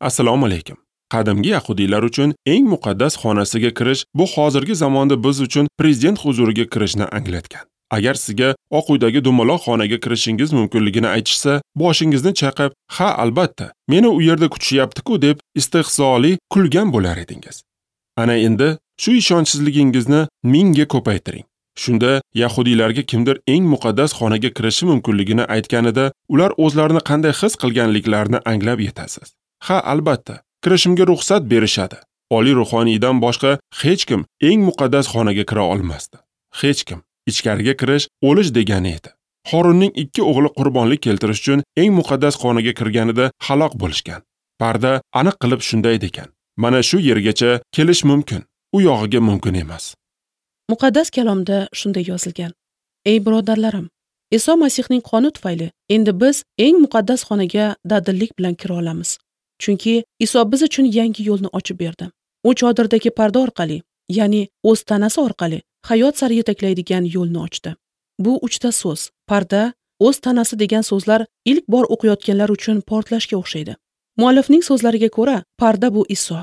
Assalomu alaykum. Qadimgi yahudiylar uchun eng muqaddas xonasiga kirish bu hozirgi zamonda biz uchun prezident huzuriga kirishni anglatgan. Agar sizga Oq uydagi dumaloq xonaga kirishingiz mumkinligini aytishsa, boshingizni chaqib, "Ha, albatta, meni u yerda kutishyapti-ku" deb istehzoli kulgan bo'lar edingiz. Ana endi shu ishonchsizligingizni mingga ko'paytiring. Shunda yahudiylarga kimdir eng muqaddas xonaga kirishi mumkinligini aytganida, ular o'zlarini qanday his qilganliklarini anglab yetasiz. Ha, albatta, kirishimga ruxsat berishadi. Oliy ruhoniydan boshqa hech kim eng muqaddas xonaga kira olmasdi. Hech kim. Ichkariga kirish o'lish degani edi. Horunning ikki o'g'li qurbonlik keltirish uchun eng muqaddas xonaga kirganida halok bo'lishgan. Parda aniq qilib shunday degan: mana shu yergacha kelish mumkin, u yog'iga mumkin emas. Muqaddas kalomda shunday yozilgan: Ey birodarlarim, Iso Masihning qoni tufayli endi biz eng muqaddas xonaga dadillik bilan kira olamiz. Chunki Iso biz uchun yangi yo'lni ochib berdi. U chodirdagi parda orqali, ya'ni o'z tanasi orqali hayot sari yetaklaydigan yo'lni ochdi. Bu uchta so'z, parda, o'z tanasi degan so'zlar ilk bor o'qiyotganlar uchun portlashga o'xshaydi. Muallifning so'zlariga ko'ra, parda bu Iso.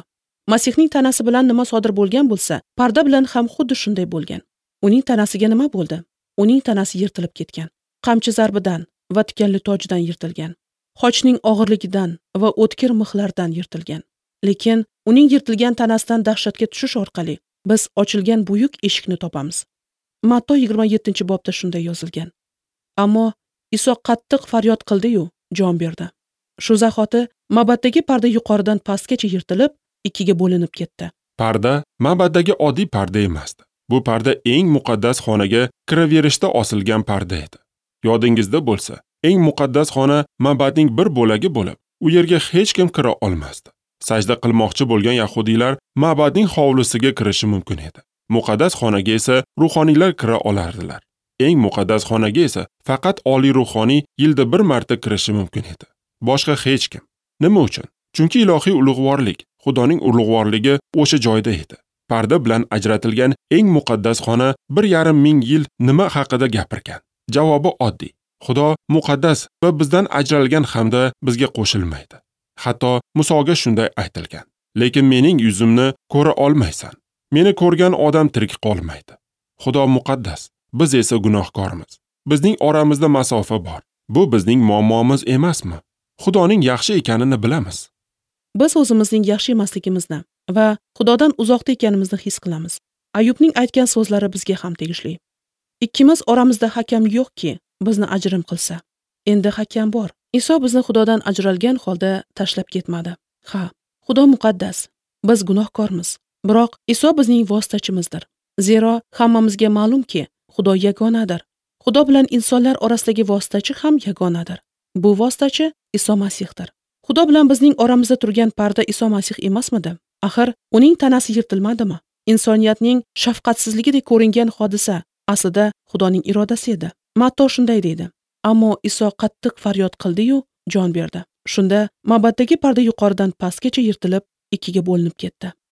Masihning tanasi bilan nima sodir bo'lgan bo'lsa, parda bilan ham xuddi shunday bo'lgan. Uning tanasiga nima bo'ldi? Uning tanasi yirtilib ketgan. Qamchi zarbidan va tikanli tojdan yirtilgan. Xochning og'irligidan va o'tkir mixlardan yirtilgan. Lekin uning yirtilgan tanasidan dahshatga tushish orqali biz ochilgan buyuk eshikni topamiz. Matto 27-bobda shunday yozilgan. Ammo Iso qattiq faryod qildi-yu, jon berdi. Shu zahoti ma'baddagi parda yuqoridan pastgacha yirtilib, ikkiga bo'linib ketdi. Parda ma'baddagi oddiy parda emasdi. Bu parda eng muqaddas xonaga kiraverishda osilgan parda edi. Yodingizda bo'lsa, eng muqaddas xona ma'badning bir bo'lagi bo'lib, u yerga hech kim kira olmasdi. Sajda qilmoqchi bo'lgan yahudiylar ma'badning hovlisiga kirishi mumkin edi. Muqaddas xonaga esa ruhoniylar kira olardilar. Eng muqaddas xonaga esa faqat oliy ruhoniy yilda bir marta kirishi mumkin edi. Boshqa hech kim. Nima uchun? Chunki ilohiy ulug'vorlik, Xudoning ulug'vorligi o'sha joyda edi. Parda bilan ajratilgan eng muqaddas xona 1,5 ming yil nima haqida gapirgan? Javobi oddiy. Xudo muqaddas va bizdan ajralgan hamda bizga qo'shilmaydi. Hatto Musoga shunday aytilgan: lekin mening yuzimni ko'ra olmaysan. Meni ko'rgan odam tirik qolmaydi. Xudo muqaddas, biz esa gunohkormiz. Bizning oramizda masofa bor. Bu bizning muammomiz emasmi? Xudoning yaxshi ekanini bilamiz. Biz o'zimizning yaxshi emasligimizni va Xudodan uzoqda ekanimizni his qilamiz. Ayubning aytgan so'zlari bizga ham tegishli. Ikkimiz oramizda hakam yo'qki, bizni ajrim qilsa. Endi hakam bor. Iso bizni Xudodan ajralgan holda tashlab ketmadi. Ha, Xudo muqaddas, biz gunohkormiz. Biroq Iso bizning vositachimizdir. Zero hammamizga ma'lumki, Xudo yagonadir. Xudo bilan insonlar orasidagi vositachi ham yagonadir. Bu vositachi Iso Masihdir. Xudo bilan bizning oramizda turgan parda Iso Masih emasmidi? Axir uning tanasi yirtilmadimi? Insoniyatning shafqatsizligidek ko'ringan hodisa aslida Xudoning irodasi edi. Matto shunday deydi: Ammo Iso qattiq faryod qildi-yu, jon berdi. Shunda ma'baddagi parda yuqoridan pastgacha yirtilib, ikkiga bo'linib ketdi.